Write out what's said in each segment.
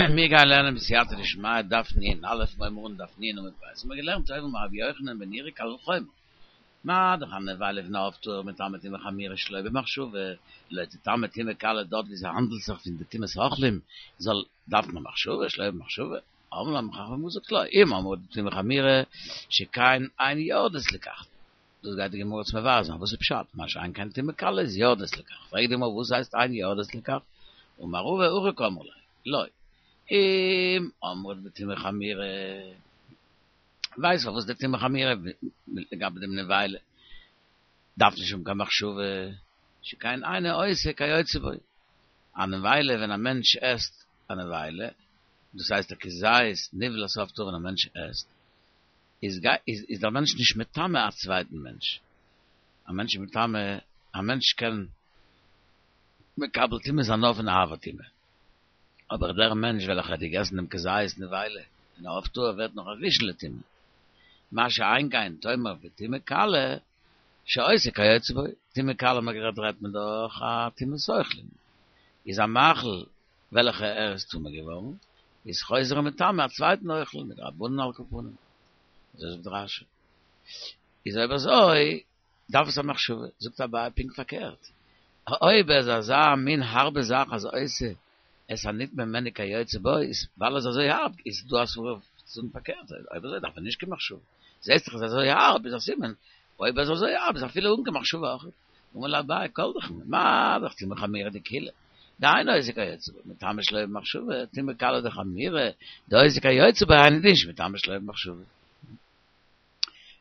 מיר גייען לערנען בסייעתא דשמיא דף נ א, מ'הייבן אן דף נ עמוד ב', האבן מיר געלערנט אויבן אמר רבי יוחנן בן נורי קל וחומר, מה דאך א נבילה פון א עוף טהור מטמא טומאה חמורה שלא במחשבה, לא תטמא טומאה קלה דארט ווי ס'האנדלט זיך פון די טומאת אוכלים זאל דארף מען מחשבה שלא במחשבה, אמרו האבן חכמים געזאגט לא, אם אמרת בטומאה חמורה שכן אין יורדות לכך. דאס גייט די גמרא צו מבאר זיין וואס איז פשט, מה שאין כן טומאה קלה איז יורדות לכך, פרעגט די גמרא וואס הייסט אין יורדות לכך, אמר רבא הכי קאמרי ליה, לא, אם אמרת בטומאה חמורה, ווייסט פארוואס די טומאה חמורה לגבי דעם נבילה דארף נישט האבן קיין מחשבה, שכן אינו עושה כיוצא בו, א נבילה ווען א מענטש עסט א נבילה, דאס הייסט א כזית נבלת עוף טהור ווען א מענטש עסט, איז איז דער מענטש נישט מטמא א צווייטן מענטש, א מענטש איז מטמא, א מענטש קען מקבל טומאה זיין נאר פון אב הטומאה, אבער דער מענטש וועלכער האט געגעסן דעם כזית נבילה פון א עוף טהור ווערט נאך א ראשון לטומאה, מה שאין כן תאמר בטומאה קלה שעושה כיוצא בו, טומאה קלה האט מען גערעדט רעדט מען דאך א טומאת אוכלים, איז א מאכל וועלכע ער איז טמא געווארן, איז חוזר ומטמא א צווייטן אוכל, מדרבנן על כל פנים. אזוי זאגט רש"י. איז אויב אזוי, דארף עס א מחשבה. זאגט אביי פונקט פארקערט. אויב ער איז אזא מין הארבע זאך אז עושה את הנטמא ממנו כיוצא בו, איז ווייל ער איז אזוי הארב, איז דא א סברא צו זאגן פארקערט, אויב אזוי דארף ער נישט קיין מחשבה. זעסט דאך עס איז אזוי הארב, איז א סימן, אויב ער איז אזוי הארב איז אפילו אן קיין מחשבה אויך. אמר ליה אביי כל דכן, מה דאך טומאה חמורה דקולא, דאינו עושה כיוצא בו, מטמא שלא במחשבה, טומאה קלה דחמירא, דעושה כיוצא בו, היינו דין שמטמא שלא במחשבה.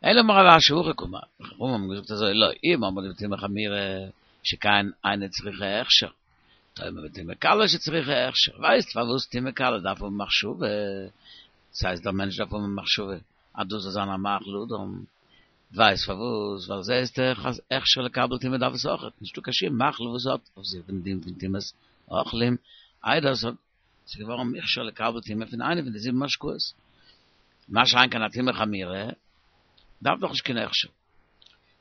אלא אמר רב אשי הכי קאמר, חכמים האבן געזאגט אזוי, לא, אם אמרת בטומאה חמורה, שכן אינה צריכה הכשר, תאמר בטומאה קלה שצריכה הכשר, ווייסט פארוואס טומאה קלה דארף האבן מחשבה, ס'הייסט דער מענטש דארף האבן מחשבה אז דאס זאל זיין א מאכל אדם, ווייסט פארוואס? ווייל זעהסט דאך אז הכשר לקבל טומאה דארף עס אויכעט, נישטא קיין שום מאכל וואס האט אויף זיך דעם דין פון טומאת אוכלים, איידער עס האט ס'איז געווארן מוכשר לקבל טומאה פון איינע פון די זיבן משקאות. מה שאין כן א טומאה חמורה דארף דאך נישט קיין הכשר.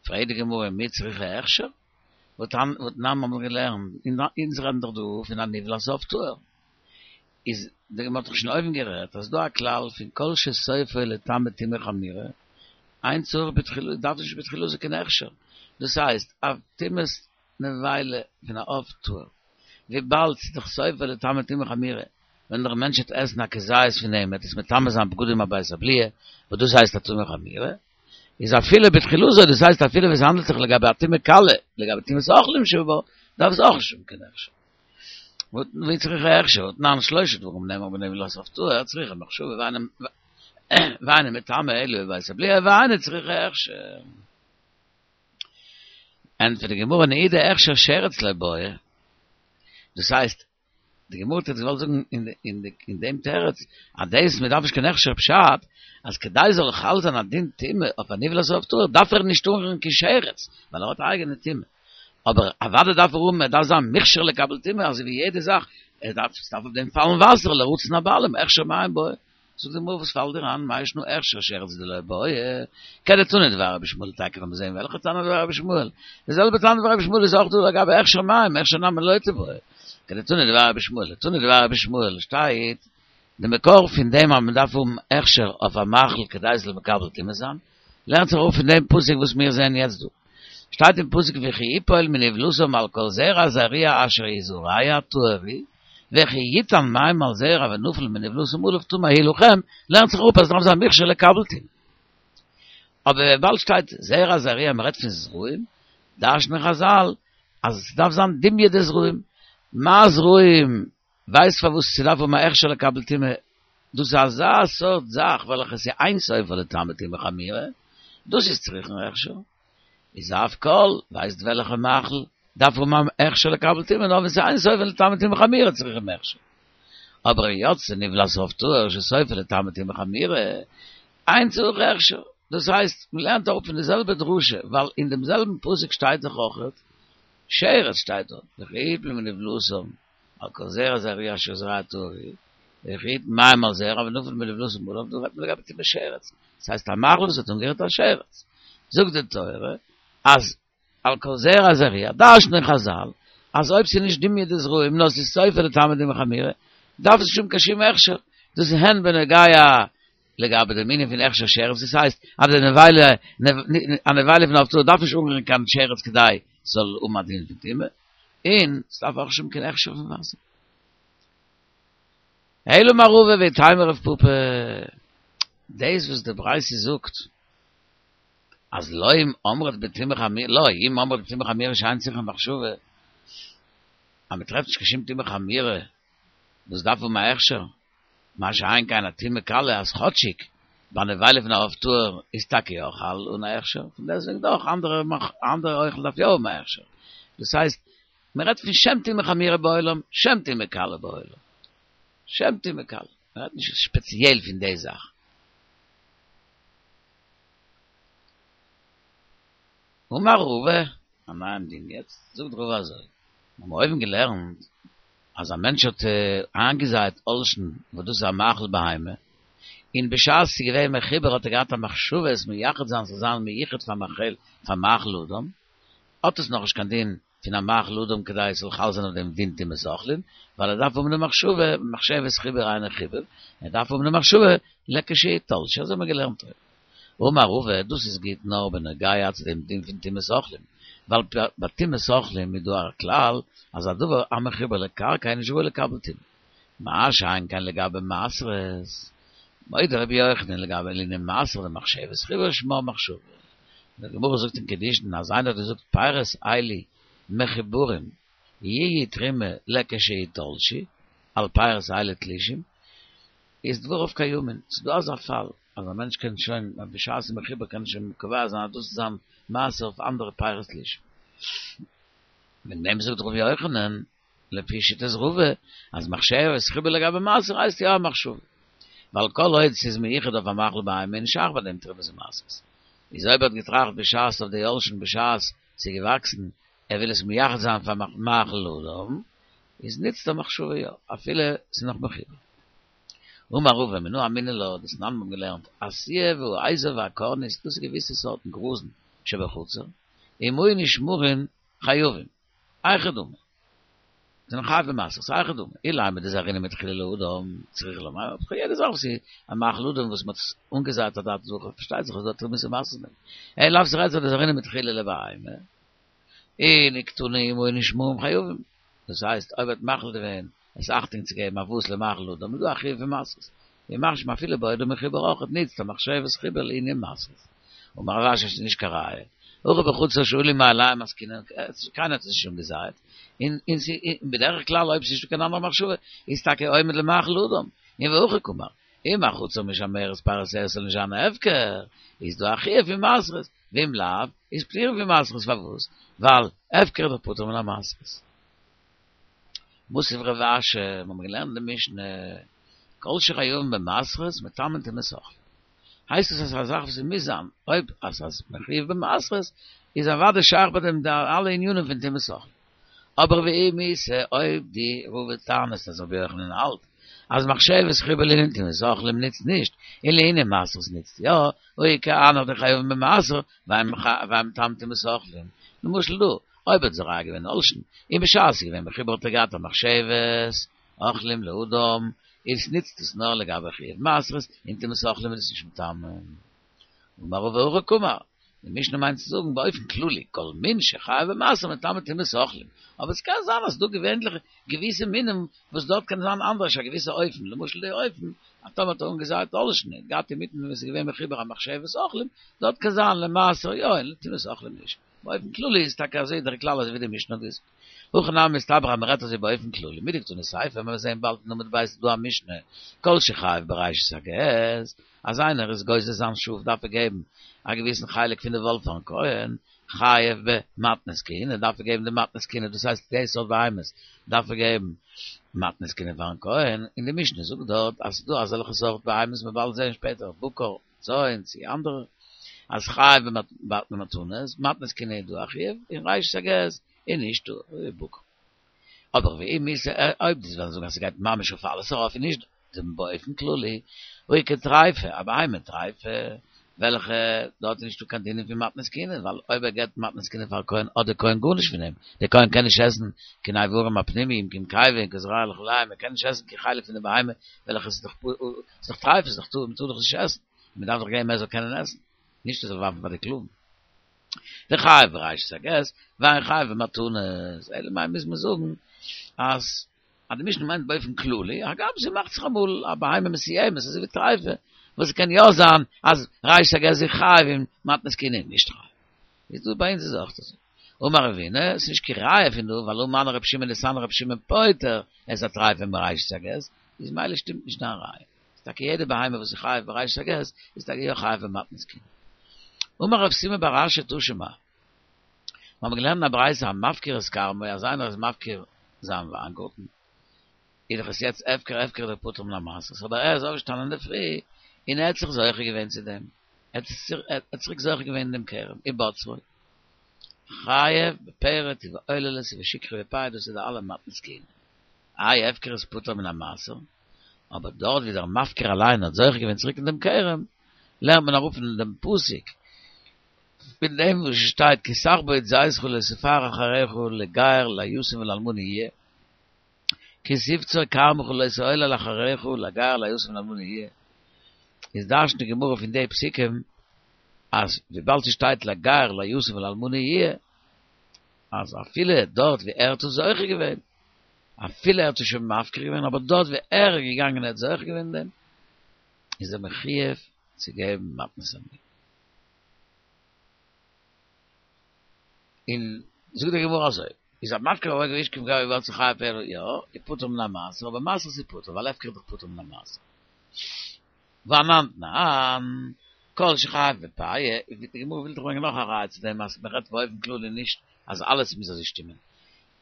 פרעגט די גמרא מי צריכה הכשר? והתנן האבן מיר געלערנט, אונז רעדן דאך דא פון א נבלת עוף טהור. איז די גמרא האט דאך שוין אויבן גערעדט אז ס'דא א כלל פון כל שסופו לטמא טומאה חמורה, אין צריך בתחילה דארף נישט בתחילתו קיין הכשר, דאס הייסט א טומאת נבילה פון א עוף טהור, וויבאלד ס'איז דאך סופו לטמא טומאה חמורה, ווען דער מענטש וועט עסן א כזית פון דעם וועט עס מטמא זיין בגדים הבית הבליעה, וואס דאס הייסט א טומאה חמורה, איז אפילו בתחילתו, דאס הייסט אפילו ווען ס'האנדלט זיך לגבי א טומאה קלה, לגבי טומאת אוכלים שבו, דארף עס אויך נישט האבן קיין הכשר. מי צריכה הכשר, והתנן שלושה דברים נאמרו בנבלת עוף טהור, צריכה מחשבה ואינו מטמא אלא בבית הבליעה ואינה צריכה הכשר. ענטפערט די גמרא נעידה הכשר שרץ לא בעי, דאס הייסט, די גמרא האט יעצט געוואלט זאגן אין דעם תירוץ אז דאס מען דארף נישט קיין הכשר פשט אז כדי זאל חל זיין א דין טומאה אויף א נבלת עוף טהור דארף ער נישט אנרירן קיין שרץ ווייל ער האט א אייגענע טומאה. אבער אוודאי דארף ער האבן, ער דארף זיין מוכשר לקבל טומאה, אזוי ווי יעדע זאך, ער דארף, ס'דארף אויף דעם פאלן וואסער, לרצון הבעלים, הכשר מים בעי. זאגט די גמרא וואס פאלט דיר איין, מאי שנא הכשר שרץ דלא בעי, כדתנא דבי רבי ישמעאל טאקע ווען מיר זעהן וועלכע תנא דבי רבי ישמעאל, די זעלבע תנא דבי רבי ישמעאל איז אויך דא לגבי הכשר מים, הכשר נמי לא תיבעי, כדתנא דבי רבי ישמעאל, תנא דבי רבי ישמעאל שטייט, די מקור פון דעם אז מען דארף האבן הכשר אויף א מאכל כדי עס זאל מקבל טומאה זיין, לערנט זיך אפ פון דעם פסוק וואס מיר זעען יעצט דא. שטייט אין פסוק וכי יפול מנבלתם על כל זרע זרוע אשר יזרע טהור הוא, וכי יתן מים על זרע ונפל מנבלתם עליו טמא הוא לכם, לערנט זיך אפ אז עס דארף זיין מוכשר לקבל טומאה. אבער וויבאלד שטייט זרע זרוע מען רעדט פון זרעים, דרש'נען חזל אז עס דארף זיין דומיא דזרעים, מה זרעים ווייסט פארוואס ס'דארף האבן א הכשר לקבל טומאה? דאס איז אזא סארט זאך וועלכע איז אין סופה לטמא טומאה חמורה, דאס איז צריכין הכשר. איז אף כל, ווייסט וועלכע מאכל דארף האבן א הכשר לקבל טומאה, נאר ווען ס'איז אין סופה לטמא טומאה חמורה צריכים הכשר. אבער יצתה נבלת עוף טהור שסופה לטמא טומאה חמורה, אין צריך הכשר. דאס הייסט, מ'לערנט אראפ פון די זעלבע דרשה, ווייל אין דעם זעלבן פסוק שטייט דאך אויכעט שרץ שטייט דארט, וכי יפול מנבלתם על כל זרע זרוע אשר יזרע טהור הוא, וכי יתן מים על זרע ונפל מנבלתם עליו, דא רעדט מען לגבי טומאת שרץ, דאס הייסט א מאכל וואס האט אנגערירט א שרץ, זאגט די תורה אז על כל זרע זרוע, דרש'נען חזל אז אויב ס'איז נישט דומיא דזרעים נאר ס'איז סופה לטמא טומאה חמורה. דארף עס נישט האבן קיין שום הכשר, דאס איז הן בנוגע לגבי דעם ענין פון הכשר שרץ, דאס הייסט אז די נבילה, א נבילה פון עוף טהור דארף נישט אנרירן קיין שרץ כדי ס'זאל האבן א דין פון טומאה, און ס'דארף אויך נישט האבן קיין הכשר פון וואסער. אלא אמר רבא ואיתימא רב פפא, דאס וואס די ברייתא זאגט אז לא אם אמרת בטומאה חמורה, לא אם אמרת בטומאה חמורה שאין צריכה מחשבה, אז מ'טרעפט נישט קיין שום טומאה חמורה וואס דארף האבן א הכשר, מה שאין כן א טומאה קלה אז כאטשיג ביי נבילה פון א עוף טהור איז טאקע יא חל אן א הכשר, פון דעסטוועגן דאך אנדערע אנדערע אוכל דארף יא האבן א הכשר, דאס הייסט מען רעדט פון שם טומאה חמורה בעולם, שם טומאה קלה בעולם, שם טומאה קלה, מען רעדט נישט ספעציעל פון די זאך. אמר רבא, א נייעם דין יעצט, זאגט רבא אזוי, מיר האבן אויבן געלערנט אז א מענטש האט איינגעזייט עולשין וואס דאס איז א מאכל בהמה, און בשעת ס'איז געווען מחובר האט ער געהאט א מחשבה עס מייחד זיין ס'זאל זיין מיוחד פאר מאכל פאר מאכל אדם, האט עס נאכנישט קיין דין פון א מאכל אדם כדי עס זאל חל זיין אויף דעם דין טומאת אוכלים, ווייל ער דארף האבן די מחשבה, מחשבת חיבור היינו חיבור, ער דארף האבן די מחשבה לכשיתלשו, אזוי האבן מיר געלערנט אויבן. אמר רבא, דאס איז גוט נאר בנוגע צו דעם דין פון טומאת אוכלים, ווייל ביי טומאת אוכלים איז דא א כלל אז א דבר המחובר לקרקע איז נישט ראוי לקבל טומאה. מה שאין כן לגבי מעשרות, מודה רבי יוחנן לגבי לענין מעשר דמחשבת חיבור שמה מחשבה. די גמרא זאגט אין קידושין אז איינער האט געזאגט פירות אלו מחוברים יהיו תרומה לכשיתלשו על פירות אלו תלושים, איז דבריו קיימין, ס'איז דא אזא פאל אז א מענטש קען שוין בשעת ס'איז מחובר קען ער שוין קובע זיין אז דאס איז זיין מעשר אויף אנדערע פירות תלושים. וועגן דעם זאגט ר' יוחנן לפי שיטת רבא אז מחשבת חיבור לגבי מעשר הייסט יא א מחשבה. ווייל כל עוד ס'איז מיוחד אויף א מאכל בהמה איז נישט שייך ביי דעם תרומות ומעשרות. איז אויב ער האט געטראכט בשעת אויף די עולשין בשעת ס'איז געוואקסן ער וויל עס מייחד זיין פאר מאכל אדם, איז ניצט די מחשבה יא, אפילו ס'איז נאך מחובר. אמר רבא מנא אמינא לה, דתנן מ'האבן געלערנט, השעיעה והאזוב והקרנית, דאס איז געוויסע סארטן גראזן שבחצר, אם היו נשמרין חייבים, היכי דמי, זענען חייב במעשרות, היכי דמי, אילימא דזרעינן מתחילה לאדם, צריכא לומר, יעדע זאך וואס איז א מאכל אדם וואס מ'האט אנגעזייט אדעת זכר, פארשטייט זיך אז דא תרומות ומעשרות דעם. אלא לאו ס'רעדט זיך דזרעינן מתחילה לבהמה, און וקתני אם היו נשמרין חייבים, דאס הייסט אויב ער האט מחליט געווען עס אכטונג צו געבן אויף וואס למאכל אדם איז דא א חיוב פון מעשרות, ומכשיר אפילו בעודו מחובר אויך ניצט א מחשבת חיבור לענין מעשרות. אמר רב אשי ס'איז נישט קיין ראיה, הכא בחצר שעלו מאליהם עסקינן, קיינער האט עס נישט אנגעזייט, און און בדרך כלל אויב ס'איז נישטא קיין אנדערע מחשבה איז טאקע עומד למאכל אדם, און והכי קאמר, אם החצר משמרת פירותיה ס'זאל נישט זיין הפקר, איז דא א חיוב פון מעשרות, ואם לאו, איז פטור פון מעשרות פארוואס? ווייל הפקר איז דאך פטור מן המעשרות. מתיב רב אשי, מיר האבן געלערנט די משנה, כל שחייבין במעשרות מטמאין טומאת אוכלים. הייסט עס אז ס'איז א זאך וואס מוז זיין, אויב אז ס'איז מחויב במעשרות, איז אוודאי שייך ביי דעם די אלע ענינים פון טומאת אוכלים. אבער ואם איתא אויב דו רבא טענה'סט אז רבי יוחנן האלט אז מחשבת חיבור לענין טומאת אוכלים נוצט נישט, און לענין מעשרות נוצט יא, הא איכא הנך דחייבין במעשר, ואין מטמאין טומאת אוכלים. למשל דא, אויב האט זורע געווען עולשין, און בשעת ס'איז געווען מחובר האט ער געהאט א מחשבת אוכלים לאדם, איז נוצט עס נאר לגבי חיוב מעשרות, און טומאת אוכלים איז עס נישט מטמא. אמר רבא הכי קאמר, די משנה מיינט צו זאגן באופן כללי, כל מין שחייב במעשר מטמא טומאת אוכלים, אבער עס קען זיין אז ס'דא געווענליך געוויסע מינים וואס דארט קען זיין אנדערש א געוויסע אופן, למשל די אופן אז טאמער האט ער אנגעזייט עולשין און געהאט אינמיטן ווען עס איז געווען מחובר א מחשבת אוכלים, דארט קען זיין למעשר יא און לטומאת אוכלים נישט. באופן כללי איז טאקע אזוי דער כלל אזוי ווי די משנה האט געזאגט. הכי נמי מסתברא אז מ'רעדט אזוי באופן כללי, מדקתני סיפא, ווען מיר זעהן באלד אין עמוד ב' איז דא א משנה, כל שחייב בראשית הגז, אז איינער איז גוזז זיין שאף דארף ער געבן א געוויסן חלק פון די וואל פארן כהן, חייב במתנות כהונה דארף ער געבן די מתנות כהונה דאס הייסט די סארט בהמות דארף ער געבן מתנות כהונה פארן כהן, און די משנה זאגט דארט אז ס'איז דא אזעלכע סארט בהמות מ'וועט באלד זעהן שפעטער בקר, צאן צי אנדערע, אז חייב במתנות, מתנות כהונה איז דא א חיוב, און ראשית הגז איז נישט דא, בקר. אבער ואם איתא אויב דו וועסט זאגן אז ס'גייט ממש אויף אלעס ארויף און נישט דעם באופן כללי, והא איכא טריפה, א בהמה טריפה. וועלכע דארט איז נישטא קיין דינים פון מתנות כהונה, ווייל אויב ער געבט מתנות כהונה פאר א כהן האט דער כהן גארנישט פון אים, דער כהן קען נישט עסן קיין איברים הפנימיים, קיין קיבה און קיין זרוע לחיים, ער קען נישט עסן קיין חלק פון די בהמה וועלכע איז דאך איז דאך טרייף, איז דאך טמא, מ'טאר דאך נישט עסן, מען דארף דאך געבן ער זאל קענען עסן, נישט ער זאל ווארפן פאר די כלבים. וחייב בראשית הגז, ואין חייב במתנות, אלא מאי מוז מען זאגן אז אז די משנה מיינט באופן כללי, הגם ס'מאכט זיך אמאל א בהמה מסוימת אזוי ווי טרייפה, וואס ס'קען יא זיין אז ראשית הגז איז חייב און מתנות כהונה איז נישט חייב. איז דא ביי אונז איז אויך אזוי. אמר רבינא, ס'נישט קיין ראיה פון דא, ווייל הא מני רבי שמעון דתני רבי שמעון פוטר את הטריפה מראשית הגז, איז ממילא שטימט נישט דיין ראיה. איז טאקע יעדע בהמה וואס איז חייב בראשית הגז איז טאקע יא חייב במתנות כהונה. אמר רב סימון בר אשי תא שמע. מיר האבן געלערנט אין א ברייתא המפקיר את כרמו אז איינער איז מפקיר זיין וויינגארטן איז דאך עס יעצט הפקר הפקר איז דאך פטור מן המעשרות אבער ער איז אויפגעשטאנען אינדערפרי און ער האט זיך זוכה געווען צו דעם ער האט צוריק זוכה געווען אין דעם כרם ובצרו חייב בפרט ובעוללות ובשכחה ובפאה דאס איז די אלע מתנות כהונה איי הפקר איז פטור מן המעשר אבער דארט ווי דער מפקיר אליין האט זוכה געווען צוריק אין דעם כרם לערנט מען אראפ פון דעם פסוק פון דעם וואס שטייט כי תכבוד זיתך לא תפאר אחריך לגר ליתום ולאלמנה יהיה, כי תבצור כרמך לא תעולל אחריך לגר ליתום ולאלמנה יהיה, איז דרש'נט די גמרא פון די פסוקים אז וויבאלד ס'שטייט לגר ליתום ולאלמנה יהיה, אז אפילו דארט ווי ער האט עס זוכה געווען, אפילו ער האט עס שוין מפקיר געווען, אבער דארט ווי ער איז געגאנגען און ער האט זוכה געווען אין דעם, איז ער מחויב צו געבן מתנות עניים. און זאגט די גמרא אזוי, איז המפקיר וההורג והשכיב גבי ובצרו חייב בפרט, יא, איז פטור מן המעשר, אבער מעשרות איז פטור, ווייל הפקר איז דאך פטור מן המעשר. ואנן תנן, כל שחייב בפאה, די גמרא וויל דאך ברענגען נאך א ראיה צו דעם אז מען רעדט באופן כללי נישט אז אלעס מוז אזוי שטימען.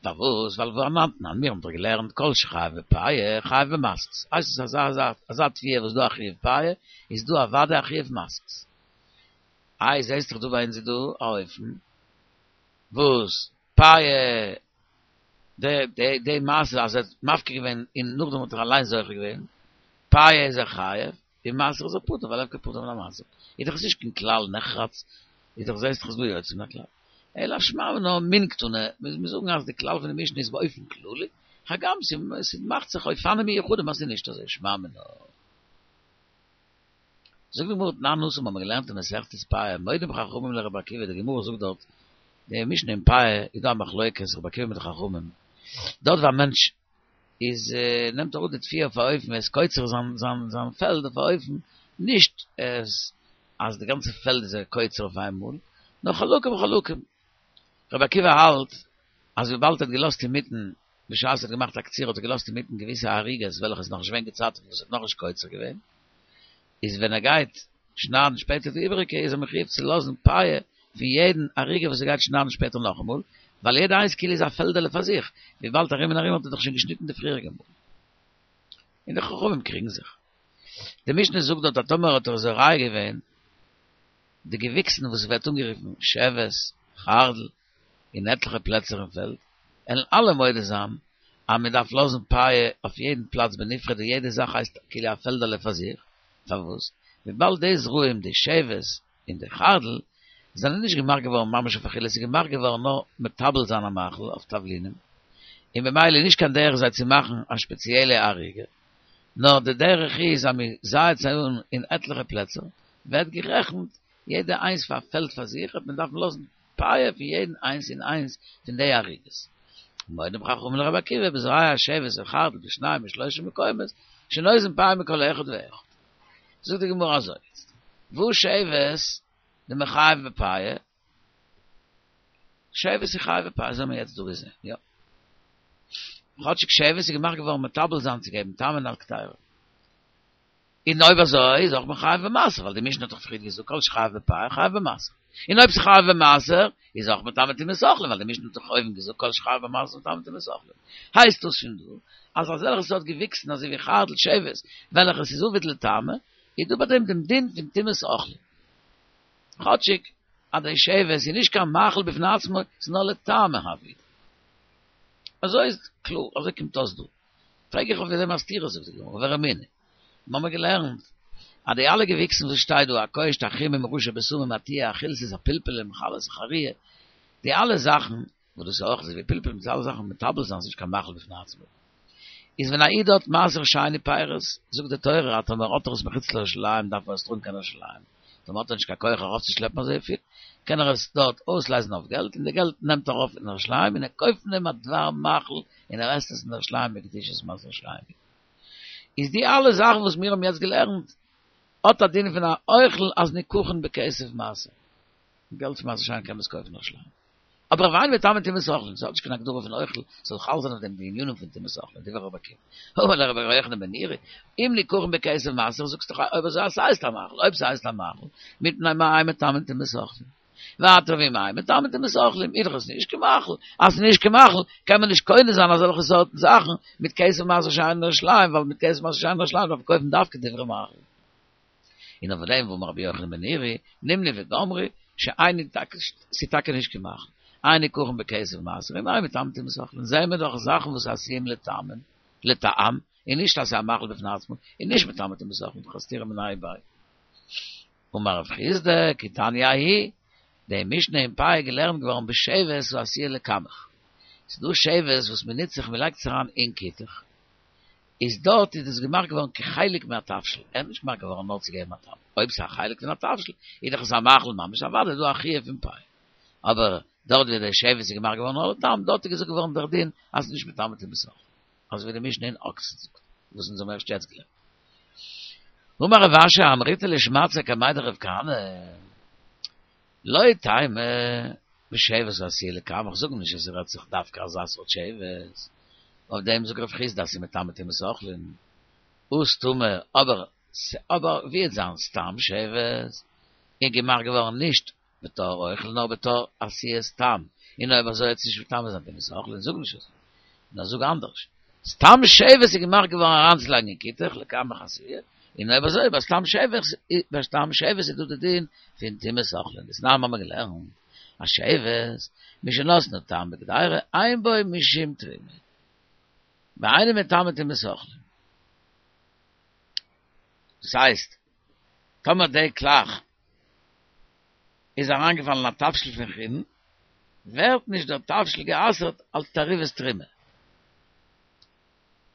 פארוואס? ווייל ואנן תנן, מיר האבן דאך געלערנט כל שחייב בפאה, חייב במעשרות. הייסט עס אז אזא אזא תבואה וואס דא א חיוב פאה, איז דא אוודאי א חיוב מעשרות. איי זעהסט דאך דא ביי אונז איז דא א אופן וואס פאה די די די מעשה אז ער האט מפקיר געווען און נאכדעם האט ער אליין זוכה געווען, פאה איז ער חייב, און מעשר איז ער פטור ווייל הפקר פטור מן המעשר. איז דאך עס נישט קיין כלל נחרץ, איז דאך זעהסט דאך ס'איז דא יוצא מן הכלל. אלא שמע מינה מן קתני, מוז מען זאגן אז די כלל פון די משנה איז באופן כללי, הגם ס'מאכט זיך אופנים מיוחדים אז ס'איז נישט אזוי, שמע מינה. זאגט די גמרא תנן התם האבן מיר געלערנט אין מסכת פאה מודים חכמים לרבי עקיבא די גמרא זאגט דארט די משנה אין פאה איז דא א מחלוקת רבי עקיבא מיט די חכמים דארט ווי א מענטש איז נעמט אראפ די תבואה אויף א אופן ער איז קוצר זיין זיין זיין פעלד אויף א אופן נישט עס אז די גאנצע פעלד איז ער קוצר אויף איינמאל נאר חלקים חלקים רבי עקיבא האלט אז וויבאלד ער האט געלאזט אינמיטן בשעת ער האט געמאכט א קציר האט ער געלאזט אינמיטן געוויסע ערוגות וועלכע איז נאכנישט געווען געצייטיגט וואס ער האט נאכנישט קוצר געווען, איז ווען ער גייט שניידן שפעטער די איבעריגע איז ער מחויב צו לאזן פאה פון יעדן ערוגה וואס ער גייט שניידן שפעטער נאכאמאל, ווייל יעדע איינס כאילו איז א פעלדעלע פאר זיך, וויבאלד ארום און ארום האט ער דאך שוין געשניטן די פריעריגע מאל. און די חכמים קריגן זיך. די משנה זאגט דארט אז טאמער האט ער זורע געווען די געוויקסן וואס ווערט אנגערופן שבת, חרדל, אין עטליכע פלעצער אין פעלד, וועלן אלע מודה זיין אז מען דארף לאזן פאה אויף יעדן פלאץ בנפרד און יעדע זאך הייסט כאילו א פעלדעלע פאר זיך, פארוואס? וויבאלד די זרעים די שבת און די חרדל זענען נישט געמאכט געווארן ממש אויף אכילה, ס'איז געמאכט געווארן נאר מטבל זיין א מאכל אויף תבלינים, און במילא איז נישט קיין דרך זיי צו מאכן א שפעציעלע ערוגה, נאר די דרך איז אז מען זייעט זיי אן אין עטליכע פלעצער, ווערט גערעכנט יעדע איינס פאר א פעלד פאר זיך, וועט מען דארפן לאזן פאה פון יעדן איינס און איינס פון די ערוגות. מודים חכמים לרבי עקיבא בזורע השבט וחרדל בשניים ושלושה מקומות שנותן פאה מכל אחד ואחד. זאגט די גמרא אזוי יעצט, והא שבת דמיחייב בפאה, שבת איז חייב בפאה, אזוי האבן מיר יעצט דא געזען, יא. כאטשיג שבת איז געמאכט געווארן מטבל זיין צו געבן טעם אין א קדירה. און אויב אזוי איז אויך מחויב במעשר, ווייל די משנה האט דאך פריער געזאגט כל שחייב בפאה חייב במעשר. און אויב ס'חייב במעשר איז אויך מטמא טומאת אוכלים, ווייל די משנה האט דאך אויבן געזאגט כל שחייב במעשר מטמא טומאת אוכלים. הייסט דאס פון דא אז אזעלכע סארט געוויקסן אזוי ווי חרדל שבת וועלכע ס'איז עביד לטעמא, איז דא ביי דעם דעם דין פון טומאת אוכלים. כאטשיג אז די שבת איז נישט קיין מאכל בפני עצמו, ס'איז נאר לטעמא עביד. אזוי איז קלאר, אזוי קומט אויס דא. פרעג איך אויף דעם א סתירה זאגט די גמרא, ורמינהי, מיר האבן געלערנט. אז די אלע געוויקסן וואס שטייט דא, הקושט, החמים, ראשי בשמים, התייר, החילתית, הפלפלים, חלות, החריה, די אלע זאכן, וואס דאס איז אויך אזוי ווי פלפל מיט אלע זאכן מטבל זיין איז נישט קיין מאכל בפני עצמו. איז ווען א איד האט מעשר שני פירות, זאגט די תורה אז טאמער האט ער עס מחוץ לירושלים דארף ער עס טראגן קיין ירושלים, טאמער האט ער נישט קיין כח ארויפצושלעפן אזויפיל, קען ער עס דארט אויסלייזן אויף געלט, און די געלט נעמט ער ארויף אין ירושלים און ער קויפט פון דעם א דבר מאכל און ער עסט עס אין ירושלים בקדושת מעשר שני. איז די אלע זאכן וואס מיר האבן יעצט געלערנט האט א דין פון א אוכל אז ניקחין בכסף מעשר. געלט פון מעשר שני קען מען עס קויפן אין ירושלים. אבער ואין מטמאין טומאת אוכלין, ס'האט נישט קיין הגדרה פון אוכל, ס'זאל חל זיין אויף דעם די ענינים פון טומאת אוכלין, דברי רבי עקיבא. אמר ליה רבי יוחנן בן נורי, אם ניקחין בכסף מעשר, זאגסט דאך אויב אזוי אז ס'הייסט א מאכל, אויב ס'הייסט א מאכל, מפני מה אין מטמאין טומאת אוכלין. ווייטער ואם אין מטמאין טומאת אוכלין, איז דאך עס נישט קיין מאכל, אז ס'איז נישט קיין מאכל, קען מען נישט קונה זיין אזעלכע סארטן זאכן מיט כסף מעשר שני אין ירושלים, ווייל מיט כסף מעשר שני אין ירושלים דארף מען קויפן דווקא דברי מאכל. און אויף דעם ואמר רבי יוחנן בן נורי, נימני וגמרי, שאין ס'איז טאקע נישט קיין מאכל, אין ניקחין בכסף מעשר, אם אין מטמאין טומאת אוכלין, זעהן מיר דאך זאכן וואס עשויים לטמא, לטעם, און נישט אז ס'איז א מאכל בפני עצמו, און נישט מטמא טומאת אוכלין, דאך א סתירה מיניה וביה. אמר רב חסדא, כי תניא ההיא, די משנה אין פאה איז געלערנט געווארן בשבת העשויה לקמח. ס'איז דא שבת וואס מ'נוצט זיך מ'לייגט עס אריין אין כותח, איז דארט איז דאס געמאכט געווארן כחלק מהתבשיל, ער איז נישט געמאכט געווארן נאר צו געבן א טעם, אויב ס'איז א חלק פון א תבשיל איז דאך עס א מאכל ממש, אוודאי איז דא א חיוב פון פאה, אבער דארט ווי די שבת איז געמאכט געווארן נאר לטעם, דארט איז געזאגט געווארן דער דין אז ס'איז נישט מטמא טומאת אוכלין, אזוי ווי די משנה אין אקסן זאגט, וואס אונז האבן ערשט יעצט געלערנט. אמר רב אשי אמריתה לשמעתתיה קמיה דרב כהנא, לא תימא בשבת העשויה לקמח, זאג נישט אז ס'רעדט זיך דווקא אזא סארט שבת, אויף דעם זאגט רב חסדא אז ס'איז מטמא טומאת אוכלין, הא סתמא, אבער אבער ווי וועט זיין סתם שבת איז געמאכט געווארן נישט בתור אוכל נאר בתור עשיית טעם, און אויב אזוי וועט עס נישט מטמא זיין טומאת אוכלין, זאג נישט אזוי, נאר זאג אנדערש, סתם שבת איז געמאכט געווארן אריינצולייגן אין כותח לקמח עשויה, און אויב אזוי ביי סתם שבת, ביי סתם שבת איז דא די דין פון טומאת אוכלין, דתנן האבן מיר געלערנט אז שבת משנתנה טעם בקדירה אין בו משום תרומה, ואינו מטמא טומאת אוכלין. דאס הייסט, טאמער די קלח איז אריינגעפאלן אין א תבשיל פון חולין, ווערט נישט דער תבשיל גע'אסר'ט אלס תערובת תרומה.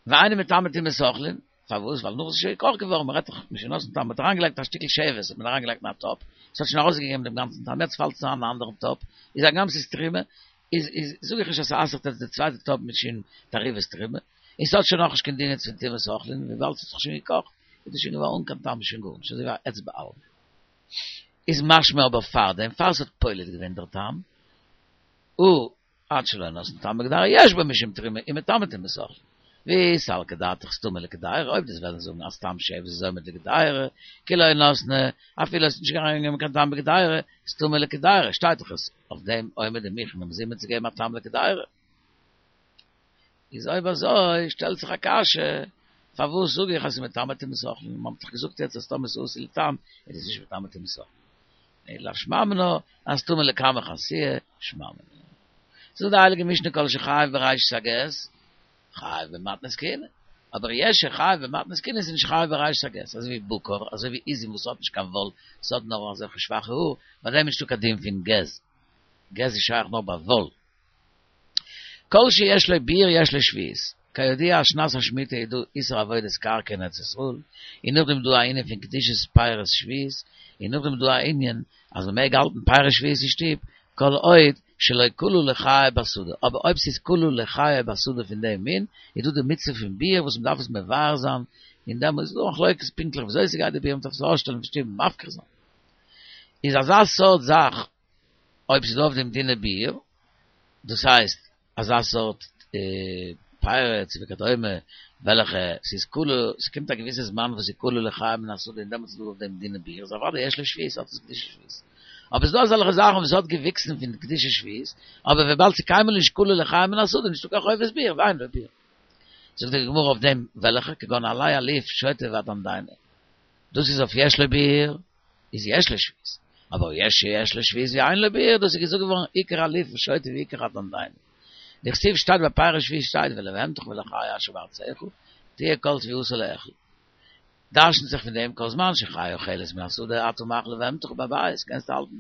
ואינו מטמא טומאת אוכלין, פארוואס? ווייל נאך עס איז שוין געקאכט געווארן, מען רעדט דאך משנתנה טעם, מען האט אריינגעלייגט א שטיקל שבת, האט מען אריינגעלייגט אין א טאפ, עס האט שוין ארויסגעגעבן דעם גאנצן טעם, יעצט פאלט עס אריין אין א אנדערן טאפ, איז הגם ס'איז תרומה, איז איז זאג איך נישט אז ס'אסר'ט יעצט די צווייטע טאפ משום תערובת תרומה, און ס'האט שוין נאכנישט קיין דין יעצט פון טומאת אוכלין, וויבאלד ס'האט זיך שוין געקאכט, איז דאס שוין געווארן אן קיין טעם שוין גארנישט, אזוי ווי א עץ בעלמא. איז משמע אבער פארדעם, פאר ס'האט פולט געווען דער טעם, הא עד שלא נתן טעם בקדירה יש בו משום תרומה ומטמא טומאת אוכלין. ואי סלקא דעתך סתמא לקדירה, אויב דו'סט וועלן זאגן אז סתם שבת איז עומד לקדירה, כי לא נתנה, אפילו עס איז נישט אריינגעגעבן קיין טעם בקדירה, סתמא לקדירה, שטייט דאך עס אויף דעם עומד ומוכן ומזומן צו געבן א טעם לקדירה. איז אויב אזוי שטעלט זיך א קשיא, פארוואס זאג איך אז ס'איז מטמא טומאת אוכלין, מ'האט דאך געזאגט יעצט אז טאמער ס'איז עשוי לטעם איז עס נישט מטמא טומאת אוכלין. אלא שמע מינה אז סתמא לקמח עשויה שמע מינה. זאגט די הייליגע משנה כל שחייב בראשית הגז חייב במתנות כהונה, אבער יש שחייב במתנות כהונה איז נישט חייב בראשית הגז, אזוי ווי בקר, אזוי ווי עזים וואס האט נישט קיין וואל, ס'האט נאר אזעלכע שוואכע האר, ביי דעם איז נישטא קיין דין פון גז, גז איז שייך נאר ביי וואל. כל שיש לו ביעור יש לו שביעית, כידוע אז שנת השמיטה איז דא איסור עבודת קרקע אין ארץ ישראל, און נאכדעם איז דא א ענין פון קדושת פירות שביעית, און נאכדעם איז דא א ענין אז מען מעג האלטן פירות שביעית אין שטוב, כל עוד שלא כלו לחיי בשדה, אבער אויב ס'איז כלו לחיי בשדה פון דעם מין, איז דא די מצוה פון ביעור וואס מ'דארף עס מבער זיין, און דעמאלט איז דא מחלוקת פונקטליך וויאזוי ס'גייט די ביעור, מ'דארף עס ארויסשטעלן פון שטוב און מפקיר זיין. איז אזא סארט זאך אויב ס'איז דא אויף דעם דיני ביעור, דאס הייסט אזא סארט פירות וכדומה וועלכע ס'איז כלו, ס'קומט א געוויסע זמן וואס ס'איז כלו לחיי מן השדה און דעמאלטס איז דא אויף דעם דיני ביעור, איז אוודאי יש לו שביעית האט עס קדושת שביעית. אבער ס'איז דא אזעלכע זאכן וואס האט געוויקסן פון קדושת שביעית, אבער וויבאלד ס'איז קיינמאל נישט כלו לחיי מן השדה נישטא קיין חובת ביעור ואין לו ביעור. זאגט די גמרא אויף דעם וועלכע כגון עלי אליף שוטה והדנדני. דאס איז אויף יש לו ביעור. איז יש לו שביעית, אבער יש שיש לו שביעית ואין לו ביעור, דאס איז געזאגט געווארן עיקר אליף ושוטה ועיקר הדנדני. דכתיב שטייט ביי פירות שביעית שטייט ולבהמתך ולחיה אשר בארצך תהיה כל תבואתה לאכול. דרש'נט זיך פון דעם כל זמן שחיה אוכלת מן השדה אתה מאכיל לבהמתך בבית, קענסטו האלטן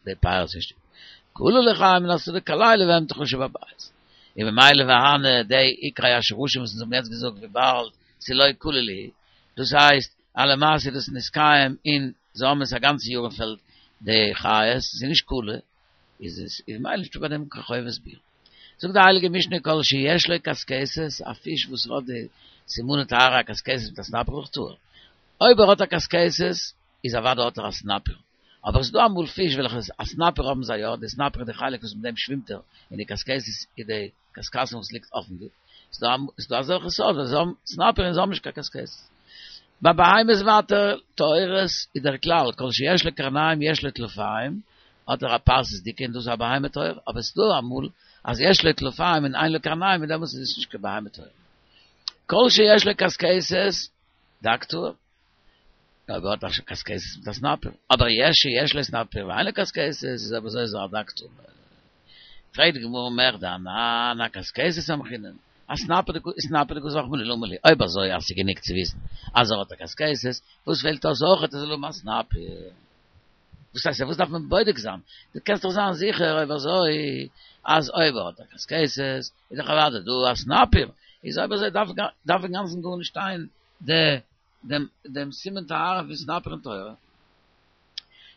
די פירות אין שטוב. כלה לחיה מן השדה קלהו לבהמתך שבבית. און ממילא והני די עיקרי השרשים וואס אונז האבן יעצט געזאגט וויבאלד ס'לא כלה להו, דאס הייסט אז למעשה איז דאס נתקיים און זיי האבן עס א גאנצע יאר אין פעלד די חיות, ס'איז נישט כלה, איז עס איז ממילא נישטא ביי דעם קיין חובת ביעור. זאגט די הייליגע משנה כל שיש לו קשקשת, א פיש וואס האט די סימני טהרה א קשקשת מיט א סנפיר דאך טהור. אויב ער האט א קשקשת איז אוודאי האט ער א סנפיר. אבער עס איז דא אמאל פיש וועלכע א סנפיר האבן זיי יא, די סנפיר איז די חלק וואס מיט דעם שווימט ער, און די קשקשת איז די קשקשתים וואס ליגט אויפן גוף. ס'איז דא אזעלכע סארט וואס זיי האבן סנפיר און זיי האבן נישט קיין קשקשת. ביי בהמות ווייטער טהורות איז דער כלל כל שיש לו קרניים יש לו טלפיים, האט ער א פרסות'דיגע און דאס איז א בהמה טהורה, אבער עס איז דא אמאל אז יש לו טלפיים און אין לו קרניים און דעמאלטס איז עס נישט קיין בהמה טהורה. כל שיש לו קשקשת, דג טהור. אויב ער האט א קשקשת מיט א סנפיר, אבער יש שיש לו סנפיר ואין לו קשקשת איז אויב אזוי איז ער א דג טמא. פרעגט די גמרא מכדי אנן אקשקשת סמכינן, אסנפיר דכתב רחמנא למה לי, אויב אזוי אז ס'איז גענוג צו וויסן אז ער האט א קשקשת, וואס פעלט אויס אויכעט ער זאל האבן א סנפיר? וואס הייסט וואס דארף מען בודק זיין? דו קענסט דאך זיין זיכער אויב אזוי אז אויב ער האט א קשקשת איז דאך אוודאי דא א סנפיר, איז אויב אזוי דארף דארף אינגאנצן גארנישט שטיין די דעם דעם סימן טהרה פון סנפיר אין תורה.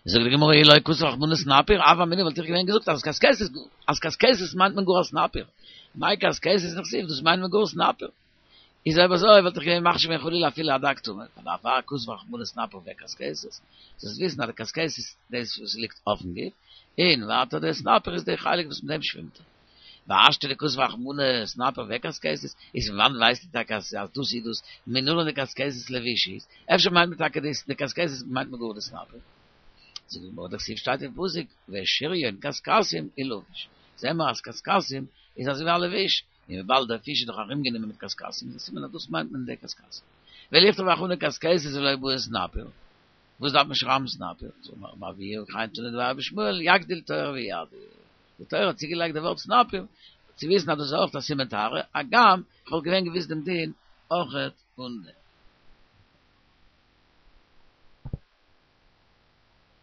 זאגט די גמרא אי לא כתב רחמנא סנפיר, הוה אמינא וואלט איך געווען געזאגט אז קשקשת אז קשקשת מיינט מען גאר א סנפיר, מאי קשקשת דכתיב דאס מיינט מען גאר סנפיר. איז אויב אזוי וואלט איך געווען מחשיב געווען חלילה אפילו א דג טמא, דערפאר כתב רחמנא סנפיר וקשקשת, זאלסט וויסן אז די קשקשת דאס וואס ליגט אויפן גוף, און ווייטער די סנפיר איז די חלק וואס מיט דעם שווימט ער. והשתא דכתב רחמנא סנפיר וקשקשת, איז פון וואנעט ווייסטו טאקע אז דאס איז דאס, מנלן דקשקשת לבוש היא, אפשר מיינט מען טאקע דאס די קשקשת מיינט מען גאר די סנפיר. זאגט די גמרא דכתיב שטייט אין פסוק ושריון קשקשים ילבש, זעען מיר אז קשקשים איז אזוי ווי א לבוש, און וויבאלד דער פיש איז דאך ארומגענומען מיט קשקשים, איז א סימן אז דאס מיינט מען די קשקשים. ולכתוב רחמנא קשקשת ולא בעי סנפיר, וואס דארף מען שרייבן סנפיר? זאגט רבי אבהו וכן תנא דבי רבי ישמעאל יגדיל תורה ויאדיר. די תורה האט צוגעלייגט די ווארט סנפיר צו וויסן אז דאס איז אויך א סימן טהרה, הגם כ'וואלט געווען געוויסט דעם דין אויכעט אן דעם.